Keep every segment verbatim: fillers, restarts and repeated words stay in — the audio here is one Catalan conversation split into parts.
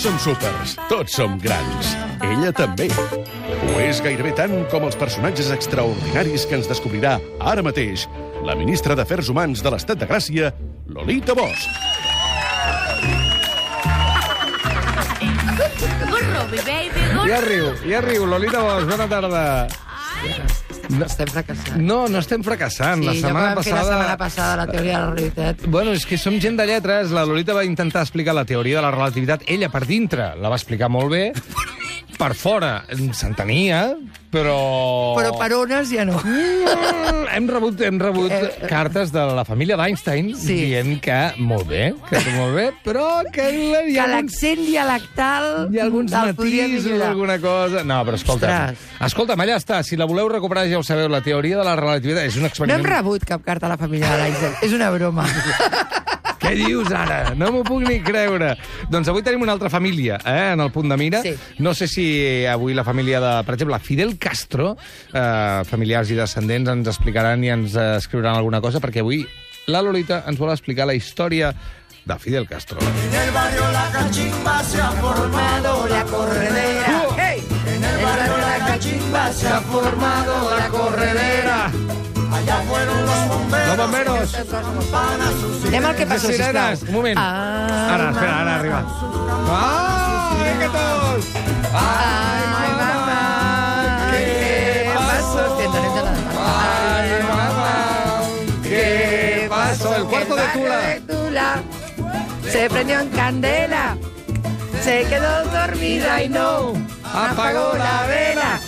som súpers, tots som grans. Ella també. Ho és gairebé tant com els personatges extraordinaris que ens descobrirà ara mateix la ministra d'Afers Humans de l'Estat de Gràcia, Lolita Bosch. Ja riu, ja riu. Lolita Bosch, bona tarda. No estem fracassant. No, no estem fracassant. Sí, la setmana ja vam passada... fer la setmana passada la teoria de la relativitat. Bueno, és que som gent de lletres. La Lolita va intentar explicar la teoria de la relativitat. Ella, per dintre, la va explicar molt bé. Per fora s'entenia, però... Però per ones ja no. Mm, hem rebut, hem rebut Eh, eh. cartes de la família d'Einstein Sí. dient que molt bé, que molt bé, però que hi ha Que alguns, l'accent dialectal hi ha alguns el podria matisos, millorar. alguna cosa... No, però escolta'm, Ostres. escolta'm, allà està. Si la voleu recuperar, ja ho sabeu, la teoria de la relativitat és un No experiment... hem rebut cap carta a la família de l'Einstein. És una broma. Què dius ara? No m'ho puc ni creure. Doncs avui tenim una altra família, eh, en el punt de mira. Sí. No sé si avui la família de, per exemple, Fidel Castro, eh, familiars i descendents, ens explicaran i ens eh, escriuran alguna cosa, perquè avui la Lolita ens vol explicar la història de Fidel Castro. En el barrio La Cachimba se ha formado la corredera. Hey! En el barrio La Cachimba se ha formado la corredera. Allá fueron los bomberos. Los bomberos. Campanas, sus Anem al que passa, Sirenes, sisplau. un moment. Ah, Ara, espera, ara arriba. Ah, vinga tots! Ai, mamà, què passa? Estem de la... Ay, mamá, ¿qué pasó? El cuarto de Tula. de Tula se prendió en candela, se quedó dormida y no apagó la vela.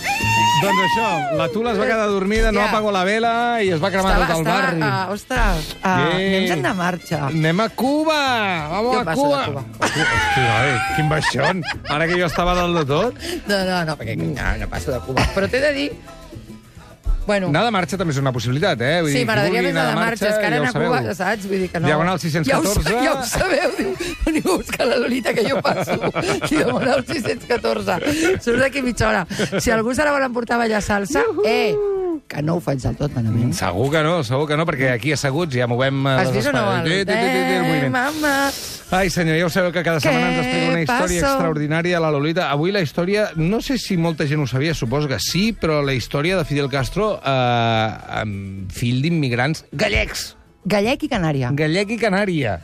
Doncs això, la Tula es va quedar dormida, no Ja. apagó la vela i es va cremar tot el barri. Uh, ostres, uh, Què? anem de marxa. Anem a Cuba! Vamos Jo a passo Cuba! de Cuba. Hosti, oi, quin baixón! Ara que jo estava dalt de tot. No, no, no, perquè no, no passo de Cuba. Però t'he de dir... Bueno, Anar de marxa també és una possibilitat, eh? Vull sí, dir, qui m'agradaria vulgui més anar de marxa, és que ja ara ho anar a Cuba, sabeu. saps? Vull dir que no... Diagonal sis-cents catorze. Ja ho, ja ho sabeu, diu, veniu a buscar la Lolita, que jo passo. Diagonal sis-cents catorze. Surt d'aquí mitja hora. Si algú se la vol emportar a ballar salsa, eh, que no ho faig del tot malament. Segur que no, segur que no, perquè aquí asseguts ja movem... eh, Has les vist o no? espades. El... Ti, ti, ti, ti, el Eh, moviment. mama... Ai, senyor, ja ho sabeu que cada setmana ens explica una història passo? extraordinària a la Lolita. Avui la història, no sé si molta gent ho sabia, suposo que sí, però la història de Fidel Castro, eh, fill d'immigrants gallecs. Gallec i Canària. Gallec i Canària.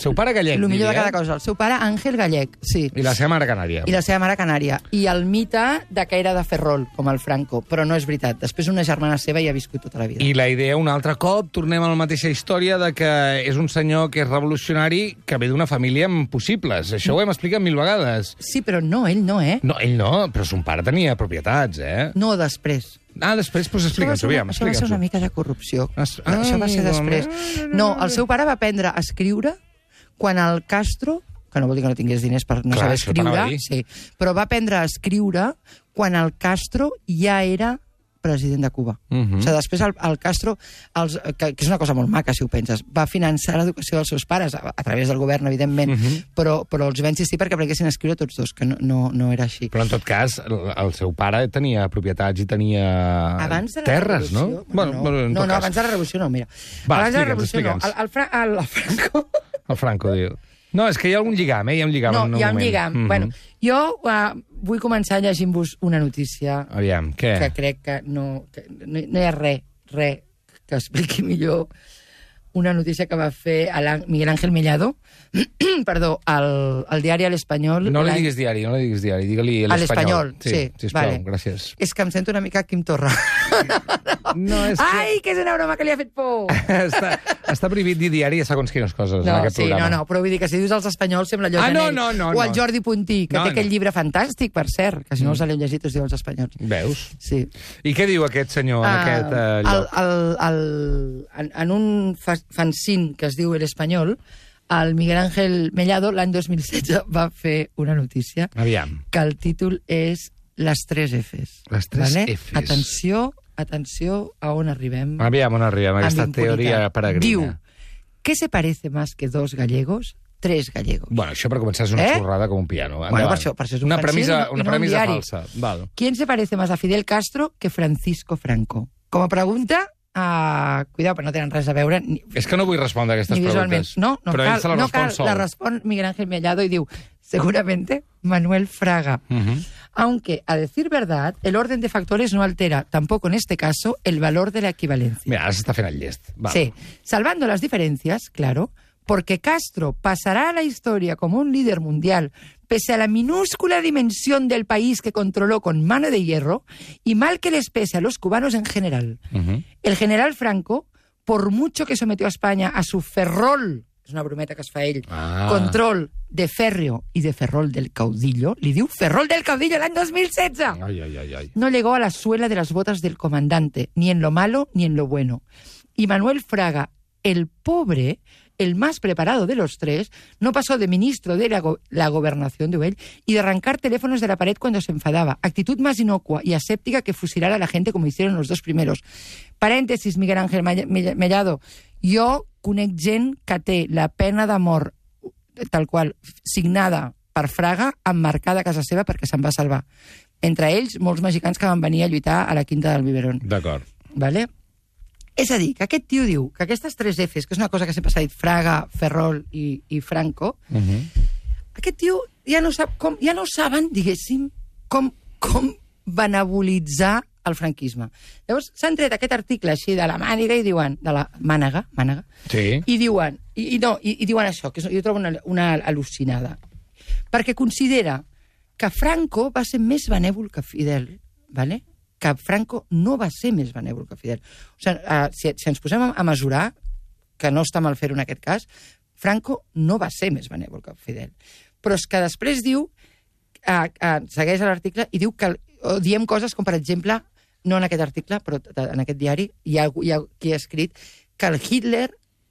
Seu pare gallec, El millor de diria, cada cosa. El seu pare, Àngel Gallec, sí. I la seva mare canària. I la seva mare canària. I el mite de que era de Ferrol, com el Franco. Però no és veritat. Després una germana seva hi ha viscut tota la vida. I la idea, un altre cop, tornem a la mateixa història de que és un senyor que és revolucionari que ve d'una família amb possibles. Això ho hem explicat mil vegades. Sí, però no, ell no, eh? No, ell no, però son pare tenia propietats, eh? No, després. Ah, després, doncs Això va explica'ns-ho, ser, aviam, això va ser explica'ns-ho. una mica de corrupció. Es- Això va ser Ai, després. No, el seu pare va aprendre a escriure quan el Castro, que no vol dir que no tingués diners per no Clar, saber això t'anava a escriure, dir. sí, però va aprendre a escriure quan el Castro ja era president de Cuba. Mhm. O sigui, després el, el Castro, els, que, que és una cosa molt maca, si ho penses, va finançar l'educació dels seus pares, a, a través del govern, evidentment, Mhm. però, però els va insistir perquè aprenguessin a escriure tots dos, que no, no, no era així. Però en tot cas, el, el seu pare tenia propietats i tenia Abans de la terres, no? revolució... Bueno, no, bueno, en no, tot no, cas. abans de la revolució no, mira. Va, abans de la explica'ns, revolució no. explica'ns. El, el, Fra el, el Franco... El Franco diu... No, és que hi ha algun lligam, eh? Hi ha un lligam No, en un hi ha un moment. lligam. Mhm. Bueno, jo uh, vull començar llegint-vos una notícia Aviam, què? que crec que no, que no, no hi ha res, res que expliqui millor una notícia que va fer el Miguel Ángel Mellado, perdó, al, al diari El Espanyol. No li l'any- diguis diari, no li diguis diari, digue-li A l'Espanyol. l'Espanyol, sí, sisplau, vale. gràcies. És que em sento una mica Quim Torra. No, és que... Ai, que és una broma que li ha fet por! està, està prohibit dir diari a segons quines coses en No, aquest sí, programa. no, no, però vull dir que si dius els espanyols sembla allò Ah, no, Janell. no, no, O el no. Jordi Puntí, que No, té aquell no. llibre fantàstic, per cert, que si no els l'heu llegit us diu els espanyols. Veus? Sí. I què diu aquest senyor en Ah, aquest eh, el, lloc? el, el, en, en un fa- fanzine que es diu El Espanyol, el Miguel Ángel Mellado l'any dos mil setze va fer una notícia Aviam. que el títol és Les tres Fs. Les tres vale? Fs. Atenció, atenció a on arribem. Aviam on arribem, amb aquesta impunitat. teoria peregrina. Diu, ¿qué se parece más que dos gallegos? Tres gallegos. Bueno, això per començar és una Eh? xorrada com un piano. Bueno, Endavant. per això- per això és un una fanzine premissa, i no una un premissa diari. falsa. Val. ¿Quién se parece más a Fidel Castro que Francisco Franco? Com a pregunta, Uh, cuidado, però no tenen res a veure... Ni, és que no vull respondre a aquestes ni preguntes. No, no però cal, ell se la no respon cal, sol. la respon Miguel Ángel Mellado i diu, seguramente Manuel Fraga. Uh-huh. Aunque, a decir verdad, el orden de factores no altera, tampoco en este caso, el valor de la equivalencia. Mira, ara s'està fent el llest. Va. Sí, salvando las diferencias, claro, porque Castro pasará a la historia como un líder mundial pese a la minúscula dimensión del país que controló con mano de hierro y mal que les pese a los cubanos en general. Uh-huh. El general Franco, por mucho que sometió a España a su ferrol, és una brometa que es fa ell, ah. control de férreo y de ferrol del caudillo, li diu ferrol del caudillo l'any dos mil setze. Ai, ai, ai, ai. No llegó a la suela de las botas del comandante, ni en lo malo ni en lo bueno. Y Manuel Fraga, el pobre, el más preparado de los tres, no pasó de ministro de la, go la gobernación de Uell y de arrancar teléfonos de la pared cuando se enfadaba. Actitud más inocua y aséptica que fusilar a la gente como hicieron los dos primeros. Paréntesis, Miguel Ángel Mellado. Jo conec gent que té la pena de mort, tal qual, signada per Fraga, emmarcada a casa seva perquè se'n va salvar. Entre ells, molts mexicans que van venir a lluitar a la Quinta del Biberón. D'acord. Vale? És a dir, que aquest tio diu que aquestes tres Fs, que és una cosa que sempre s'ha dit Fraga, Ferrol i, i Franco, Uh-huh. aquest tio ja no sap com, ja no saben, diguéssim, com, com benabolitzar el franquisme. Llavors, s'han tret aquest article així de la màniga i diuen, de la mànega, mànega, Sí. i diuen, i, i, no, i, i diuen això, que jo trobo una, una al·lucinada, perquè considera que Franco va ser més benèvol que Fidel, ¿vale? Que Franco no va ser més benèvol que Fidel. O sigui, uh, si, si ens posem a mesurar, que no està mal fer-ho en aquest cas, Franco no va ser més benèvol que Fidel. Però és que després diu, uh, uh, segueix l'article, i diu que o diem coses com, per exemple, no en aquest article, però en aquest diari, hi ha, hi ha qui ha escrit que el Hitler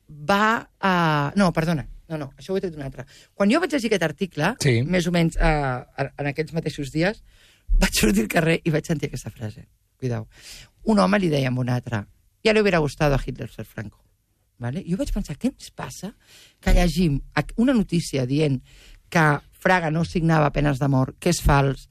va... Uh, no, perdona, no, no, això ho he tret d'un altre. Quan jo vaig llegir aquest article, Sí. més o menys uh, en aquells mateixos dies, vaig sortir al carrer i vaig sentir aquesta frase. Cuidao. Un home li deia a un altre, ja li hubiera gustado a Hitler ser Franco. ¿Vale? I jo vaig pensar, què ens passa que llegim una notícia dient que Fraga no signava penes de mort, que és fals,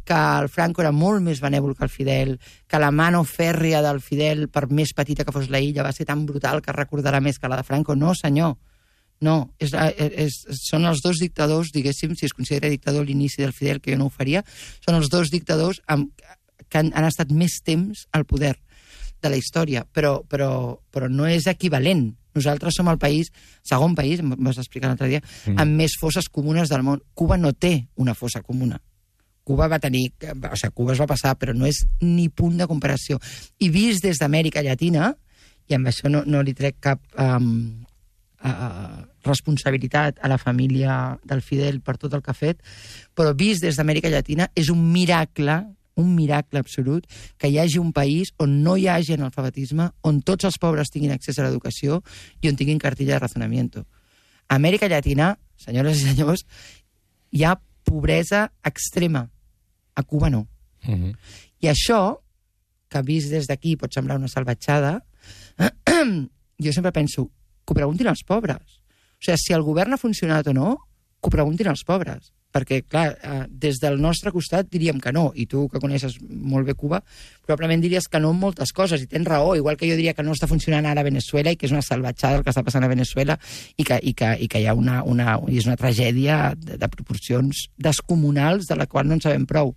que el Franco era molt més benèvol que el Fidel, que la mano fèrria del Fidel, per més petita que fos la illa, va ser tan brutal que recordarà més que la de Franco? No, senyor. No, és, és, són els dos dictadors, diguéssim, si es considera dictador l'inici del Fidel, que jo no ho faria, són els dos dictadors amb, que han, han estat més temps al poder de la història, però, però, però no és equivalent. Nosaltres som el país, segon país, em vas explicar l'altre dia, mm. amb més fosses comunes del món. Cuba no té una fossa comuna. Cuba va tenir... O sigui, Cuba es va passar, però no és ni punt de comparació. I vist des d'Amèrica Llatina, i amb això no, no li trec cap um, uh, responsabilitat a la família del Fidel per tot el que ha fet, però vist des d'Amèrica Llatina és un miracle, un miracle absolut, que hi hagi un país on no hi hagi analfabetisme, on tots els pobres tinguin accés a l'educació i on tinguin cartilla de razonamiento. A Amèrica Llatina, senyores i senyors, hi ha pobresa extrema. A Cuba no. Uh-huh. I això, que vist des d'aquí pot semblar una salvatjada, jo sempre penso que ho preguntin als pobres. O sigui, si el govern ha funcionat o no, que ho preguntin als pobres. Perquè, clar, eh, des del nostre costat diríem que no, i tu, que coneixes molt bé Cuba, probablement diries que no en moltes coses, i tens raó, igual que jo diria que no està funcionant ara a Venezuela i que és una salvatjada el que està passant a Venezuela i que, i que, i que hi ha una, una, és una tragèdia de, de proporcions descomunals de la qual no en sabem prou.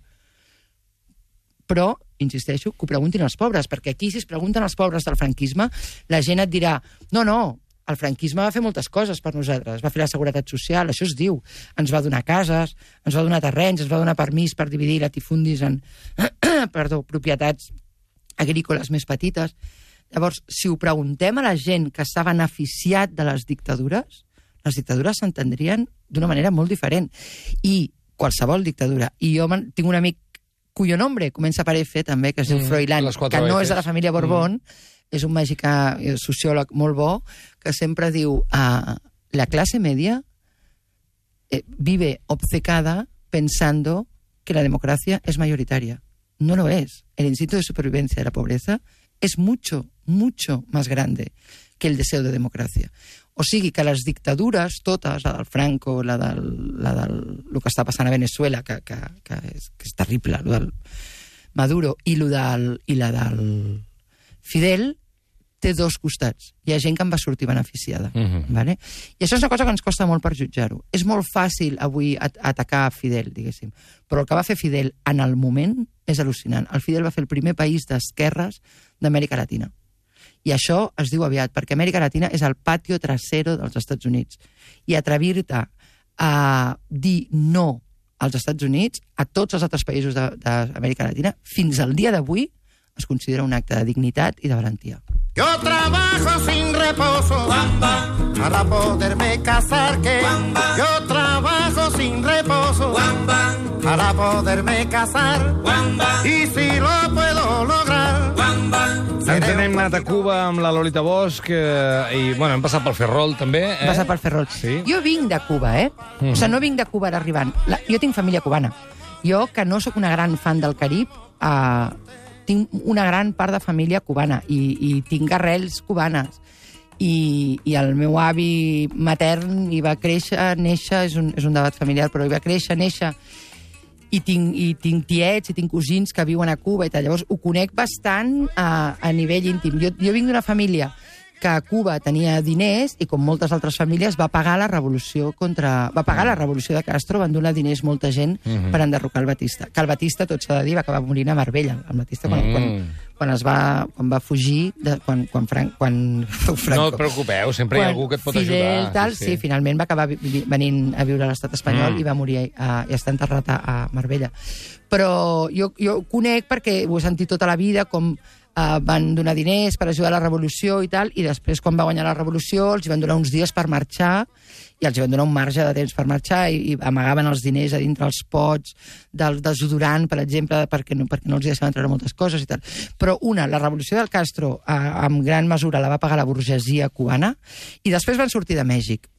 Però, insisteixo, que ho preguntin als pobres, perquè aquí, si es pregunten als pobres del franquisme, la gent et dirà, no, no, el franquisme va fer moltes coses per nosaltres, va fer la seguretat social, això es diu, ens va donar cases, ens va donar terrenys, ens va donar permís per dividir latifundis en perdó, propietats agrícoles més petites. Llavors, si ho preguntem a la gent que s'ha beneficiat de les dictadures, les dictadures s'entendrien d'una manera molt diferent. I qualsevol dictadura. I jo tinc un amic cuyo nombre comença per F, també, que es diu mm, Froilán, que no és de la família Borbón, mm. és un mexicà, sociòleg molt bo, que sempre diu uh, la clase media eh, vive obcecada pensando que la democracia es mayoritaria. No lo es. El instinto de supervivencia de la pobreza es mucho, mucho más grande que el deseo de democracia. O sigui que les dictadures, totes, la del Franco, la del, la del lo que està passant a Venezuela, que, que, que, és, que és terrible, lo del Maduro, i, lo del, i la del Fidel, té dos costats. Hi ha gent que en va sortir beneficiada. Mhm. Vale? I això és una cosa que ens costa molt per jutjar-ho. És molt fàcil avui at atacar a Fidel, diguéssim, però el que va fer Fidel en el moment és al·lucinant. El Fidel va fer el primer país d'esquerres d'Amèrica Latina. I això es diu aviat, perquè Amèrica Latina és el patio trasero dels Estats Units. I atrevir-te a dir no als Estats Units, a tots els altres països d'Amèrica Latina, fins al dia d'avui es considera un acte de dignitat i de valentia. Yo trabajo sin reposo Bamba, para poderme casar, que Bamba. Yo trabajo sin reposo Bamba, para poderme casar Bamba. Y si lo puedo lograr Bamba, ens hem anat a Cuba amb la Lolita Bosch eh, i, bueno, hem passat pel Ferrol, també. Eh? Hem passat pel Ferrol. Sí. Jo vinc de Cuba, eh? Mm. O sigui, no vinc de Cuba ara arribant. La, jo tinc família cubana. Jo, que no sóc una gran fan del Carib, eh, tinc una gran part de família cubana i, i tinc arrels cubanes. I, I el meu avi matern hi va créixer, néixer, és un, és un debat familiar, però hi va créixer, néixer, i tinc, i tinc tiets i tinc cosins que viuen a Cuba i tal. Llavors ho conec bastant a, a nivell íntim. Jo, jo vinc d'una família que a Cuba tenia diners i, com moltes altres famílies, va pagar la revolució contra... va pagar la revolució de Castro, van donar diners molta gent Mhm. per per enderrocar el Batista. Que el Batista, tot s'ha de dir, va acabar morint a Marbella. El Batista, quan, Mm. quan, quan es va, quan va fugir, de, quan, quan, Fran, quan Franco... No et preocupeu, sempre hi ha Quan algú que et pot Fidel, ajudar. Tal, sí, sí. sí, finalment va acabar vi- vi- venint a viure a l'estat espanyol Mm. i va morir a, i està enterrat a, a Marbella. Però jo, jo ho conec perquè ho he sentit tota la vida, com uh, van donar diners per ajudar a la revolució i tal, i després, quan va guanyar la revolució, els hi van donar uns dies per marxar, i els hi van donar un marge de temps per marxar, i, i amagaven els diners a dintre els pots del desodorant, per exemple, perquè no, perquè no els hi deixaven treure moltes coses i tal. Però una, la revolució del Castro, eh, en gran mesura la va pagar la burgesia cubana, i després van sortir de Mèxic.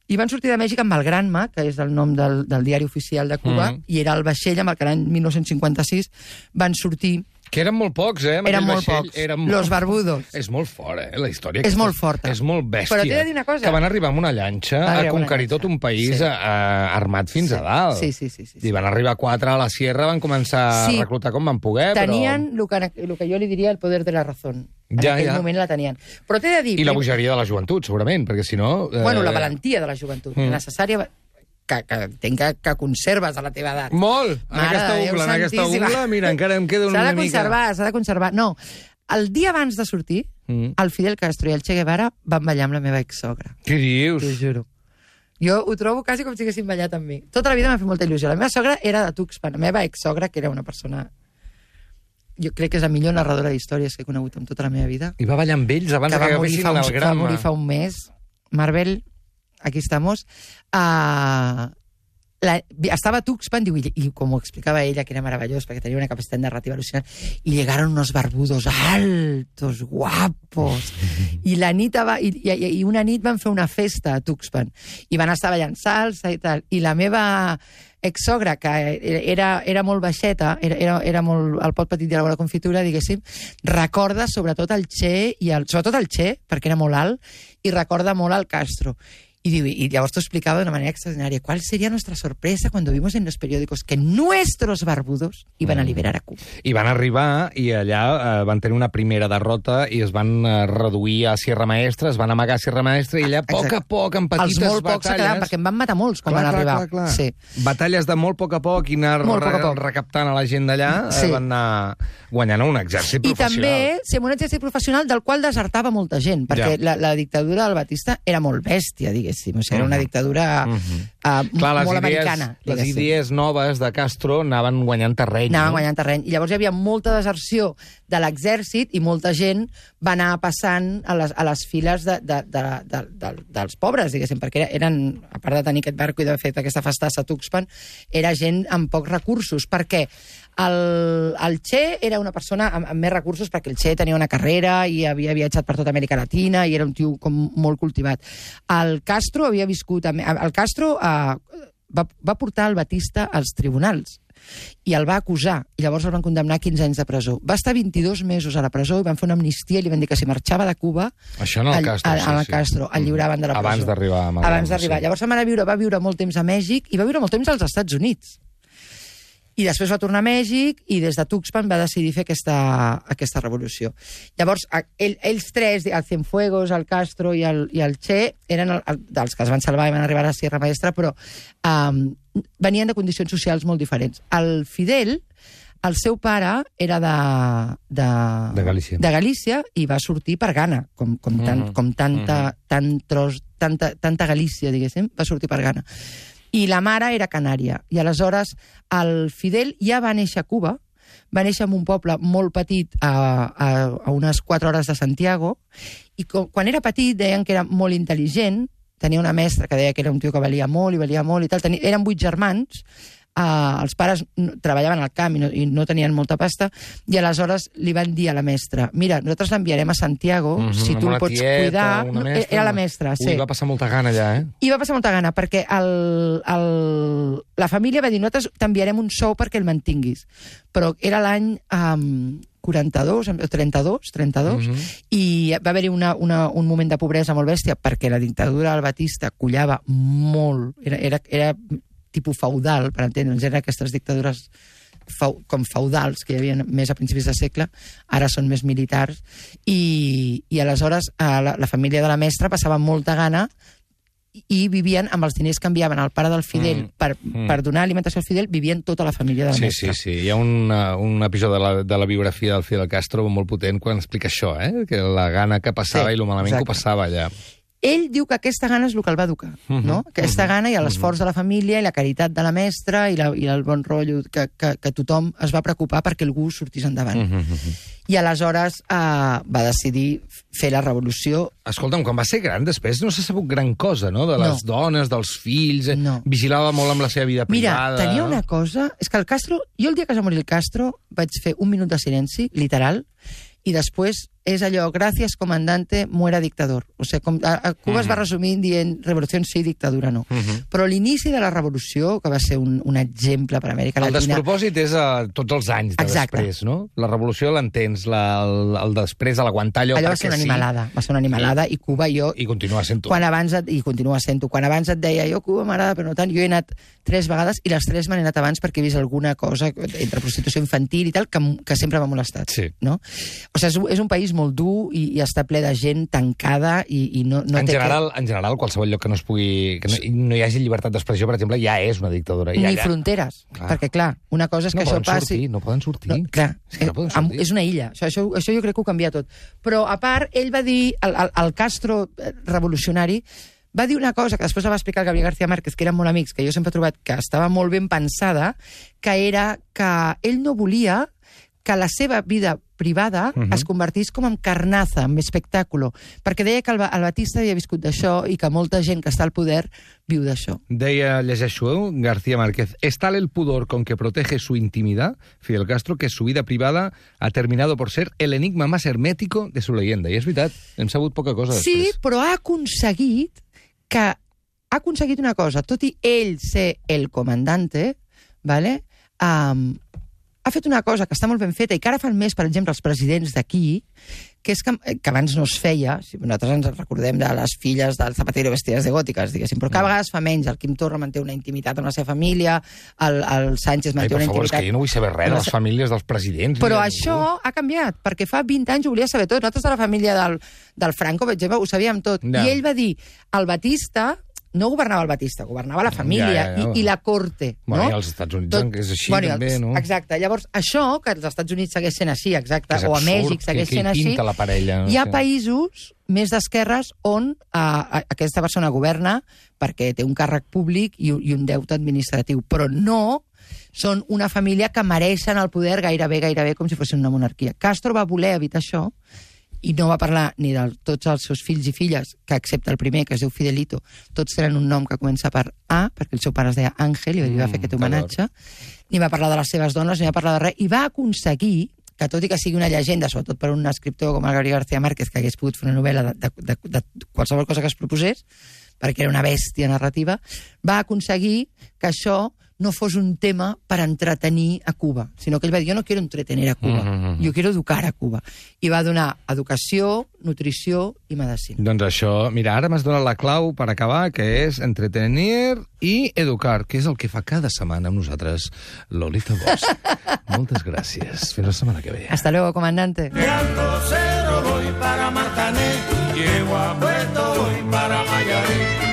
I van sortir de Mèxic amb el Granma, que és el nom del, del diari oficial de Cuba, Mm. i era el vaixell amb el que l'any dinou cinquanta sis van sortir... Que eren molt pocs, eh? amb Eren aquell molt vaixell. pocs. Eren Los Barbudos. És molt fort, eh? La història. És aquesta molt forta. És molt bèstia. Però t'he de dir una cosa. Que van arribar amb una llanxa Van a arribar amb una conquerir tot llanxa. un país Sí. a, a, armat fins Sí. a dalt. Sí, sí, sí, sí, sí. I van arribar quatre a la sierra, van començar Sí. a reclutar com van poder, Tenien el que, el que jo li diria el poder de la raó. En Ja, aquell ja. moment la tenien. Però t'he de dir... però... I la bogeria de la joventut, segurament, perquè si no... Eh... Bueno, la valentia de la joventut. Mm. Mm. Necessària... Que, que, entenc que, que conserves a la teva edat. Molt! En Mare aquesta de Déu ungla, en aquesta santíssima. ungla, mira, encara em queda una S'ha de mica... conservar, s'ha de conservar. No, el dia abans de sortir, Mm. el Fidel Castro i el Che Guevara van ballar amb la meva exsogra. Què dius? T'ho juro. Jo ho trobo quasi com si haguessin ballat amb mi. Tota la vida m'ha fet molta il·lusió. La meva sogra era de Tuxpan. La meva exsogra, que era una persona... Jo crec que és la millor narradora d'històries que he conegut en tota la meva vida. I va ballar amb ells abans que que va morir, agafessin fa un, el va Granma. morir fa un mes. Marvel, aquí estamos. Uh, la, estaba a Tuxpan, diu, i, i com ho explicava ella, que era meravellós, perquè tenia una capacitat narrativa al·lucinant, i llegaron unos barbudos altos, guapos, i la nit va, i, i, i una nit van fer una festa a Tuxpan, i van estar ballant salsa i tal, i la meva exsogra, que era, era molt baixeta, era, era, era molt el pot petit de la bona confitura, diguéssim, recorda sobretot el Che, i el, sobretot el Che, perquè era molt alt, i recorda molt el Castro. Y, digo, y llavors t'ho explicaba de una manera extraordinaria. ¿Cuál sería nuestra sorpresa cuando vimos en los periódicos que nuestros barbudos iban a liberar a Cuba? I van arribar i allà eh, van tenir una primera derrota i es van eh, reduir a Sierra Maestra, es van amagar a Sierra Maestra i allà a poc Exacte. a poc, en petites Els molt pocs se quedaven, batalles... perquè en van matar molts quan Clar, van clar, arribar. clar, clar. Sí. Batalles de molt poc a poc i anar Molt poc a re poc. recaptant a la gent d'allà, Sí. eh, van anar guanyant un exèrcit I professional. també ser un exèrcit professional del qual desertava molta gent, perquè Ja. la, la dictadura del Batista era molt bèstia, diguéssim. O sigui, era una Mhm. dictadura Mhm. uh, Clar, les molt idees, americana. les diguéssim. idees noves de Castro anaven guanyant terreny. Anaven no? guanyant terreny. I llavors hi havia molta deserció de l'exèrcit i molta gent va anar passant a les, a les files de, de, de, de, de, dels pobres, diguéssim, perquè eren, a part de tenir aquest barco i d'haver fet aquesta festassa a Tuxpan, era gent amb pocs recursos. Per què? El, el Che era una persona amb, amb més recursos perquè el Che tenia una carrera i havia viatjat per tota Amèrica Latina i era un tio com molt cultivat. El Castro havia viscut... El Castro eh, va, va portar el Batista als tribunals i el va acusar, i llavors el van condemnar a quinze anys de presó. Va estar vint-i-dos mesos a la presó i van fer una amnistia i li van dir que si marxava de Cuba, Això no el Castro, el, sí, el sí. Castro el lliuraven de la presó. Abans d'arribar a Madrid. Abans d'arribar. Sí. Llavors se'n va anar a viure, va viure molt temps a Mèxic i va viure molt temps als Estats Units. I després va tornar a Mèxic i des de Tuxpan va decidir fer aquesta, aquesta revolució. Llavors, ell, ells tres, el Cienfuegos, el Castro i el, i el Che, eren el, el, dels que es van salvar i van arribar a la Sierra Maestra, però um, venien de condicions socials molt diferents. El Fidel, el seu pare era de, de, de, Galícia. de Galícia i va sortir per Ghana, com, com, tant, mm -hmm. com tanta, mm -hmm. tant tros, tanta, tanta Galícia, diguéssim, va sortir per Ghana. I la mare era canària. I aleshores el Fidel ja va néixer a Cuba, va néixer en un poble molt petit a, a, a unes quatre hores de Santiago, i com, quan era petit deien que era molt intel·ligent, tenia una mestra que deia que era un tio que valia molt i valia molt i tal. Tenia, eren vuit germans, uh, els pares treballaven al camp i no, i no tenien molta pasta, i aleshores li van dir a la mestra, mira, nosaltres l'enviarem a Santiago, mm -hmm, si tu el pots tieta, cuidar... Mestra, era la mestra, sí. Ui, va passar molta gana allà, eh? I va passar molta gana, perquè el, el, la família va dir, nosaltres t'enviarem un sou perquè el mantinguis. Però era l'any... Um, quaranta-dos, trenta-dos, trenta-dos, uh -huh. i va haver-hi una, una, un moment de pobresa molt bèstia perquè la dictadura del Batista collava molt, era, era, era tipus feudal, per entendre'ns, eren aquestes dictadures feu, com feudals que hi havia més a principis de segle, ara són més militars, i, i aleshores la, la família de la mestra passava molta gana i vivien amb els diners que enviaven al pare del Fidel mm, per, mm. per donar alimentació al Fidel, vivien tota la família de la sí, mestra. Sí, sí, hi ha un, un episodi de la, de la biografia del Fidel Castro molt potent quan explica això, eh? Que la gana que passava sí, i lo malament exacte. que ho passava allà. Ell diu que aquesta gana és el que el va educar, uh-huh, no? Aquesta uh-huh, gana i l'esforç uh-huh. de la família i la caritat de la mestra i, la, i el bon rotllo que, que, que tothom es va preocupar perquè algú sortís endavant. Uh-huh, uh-huh. I aleshores eh, va decidir fer la revolució. Escolta'm, quan va ser gran, després no s'ha sabut gran cosa, no? De les no. dones, dels fills... Eh? No. Vigilava molt amb la seva vida privada... Mira, tenia una cosa... És que el Castro... Jo el dia que es va morir el Castro vaig fer un minut de silenci, literal, i després és allò, gràcies, comandante, muera dictador. O sigui, com, a, a Cuba uh -huh. es va resumir dient revolució sí, dictadura no. Uh -huh. Però l'inici de la revolució, que va ser un, un exemple per Amèrica Latina... El despropòsit és a tots els anys de exacte. després, no? La revolució l'entens, la, el, el després, a l'aguantar allò, allò perquè va ser una sí. animalada, va ser una animalada, i, i Cuba jo... I continua sent-ho. Quan abans et, I continua sent-ho. Quan abans et deia, jo Cuba m'agrada, però no tant, jo he anat tres vegades, i les tres m'han anat abans perquè he vist alguna cosa entre prostitució infantil i tal, que, que sempre m'ha molestat. Sí. No? O sigui, és, és un país molt dur i, i està ple de gent tancada i, i no, no en té... General, que... En general, qualsevol lloc que no es pugui... que no, no hi hagi llibertat d'expressió, per exemple, ja és una dictadura. Ni ja, ja... fronteres. Clar. Perquè, clar, una cosa és que no això passi... Sortir, no poden sortir. No, clar, és, que no poden sortir. És una illa. Això, això, això jo crec que ho canvia tot. Però, a part, ell va dir, el, el, el Castro revolucionari, va dir una cosa que després la va explicar el Gabriel García Márquez, que eren molt amics, que jo sempre he trobat que estava molt ben pensada, que era que ell no volia que la seva vida privada uh-huh. es convertís com en carnaza, en espectàculo, perquè deia que el, el Batista havia viscut d'això i que molta gent que està al poder viu d'això. Deia, llegeixo, García Márquez, es tal el pudor con que protege su intimidad, Fidel Castro, que su vida privada ha terminado por ser el enigma más hermético de su leyenda. I és veritat, hem sabut poca cosa després. Sí, però ha aconseguit que ha aconseguit una cosa, tot i ell ser el comandante, ¿vale? Um, ha fet una cosa que està molt ben feta i que ara fan més, per exemple, els presidents d'aquí, que és que, que abans no es feia, si nosaltres ens recordem de les filles del Zapatero vestides de gòtiques, diguéssim, però cada vegada es fa menys. El Quim Torra manté una intimitat amb la seva família, el, el Sánchez manté Ai, una favor, intimitat... És que jo no vull saber res de les famílies dels presidents. Però això ha canviat, perquè fa vint anys ho volia saber tot. Nosaltres de la família del, del Franco, per exemple, ho sabíem tot. No. I ell va dir, el Batista... no governava el Batista, governava la família ja, ja, ja. I, i la corte. Bueno, no? I als Estats Units Tot... és així, bueno, també, no? Exacte. Llavors, això, que als Estats Units segueix sent així, exacte, o a Mèxic segueix que, sent així, la parella, no? Hi ha sí. països més d'esquerres on uh, aquesta persona governa perquè té un càrrec públic i, i un deute administratiu, però no són una família que mereixen el poder gairebé, gairebé com si fossin una monarquia. Castro va voler evitar això i no va parlar ni de tots els seus fills i filles, que excepte el primer, que es diu Fidelito, tots tenen un nom que comença per A, perquè el seu pare es deia Àngel i va fer aquest homenatge, ni va parlar de les seves dones, ni va parlar de res, i va aconseguir que, tot i que sigui una llegenda, sobretot per un escriptor com el Gabriel García Márquez, que hagués pogut fer una novel·la de, de, de, de qualsevol cosa que es proposés, perquè era una bèstia narrativa, va aconseguir que això no fos un tema per entretenir a Cuba, sinó que ell va dir, jo no quiero entretener a Cuba, mm-hmm. jo quiero educar a Cuba. I va donar educació, nutrició i medicina. Doncs això, mira, ara m'has donat la clau per acabar, que és entretenir i educar, que és el que fa cada setmana amb nosaltres Lolita Bosch. Moltes gràcies. Fins la setmana que ve. Hasta luego, comandante. Mirando cero voy para Martané, llego a Puerto, voy para Mayarí.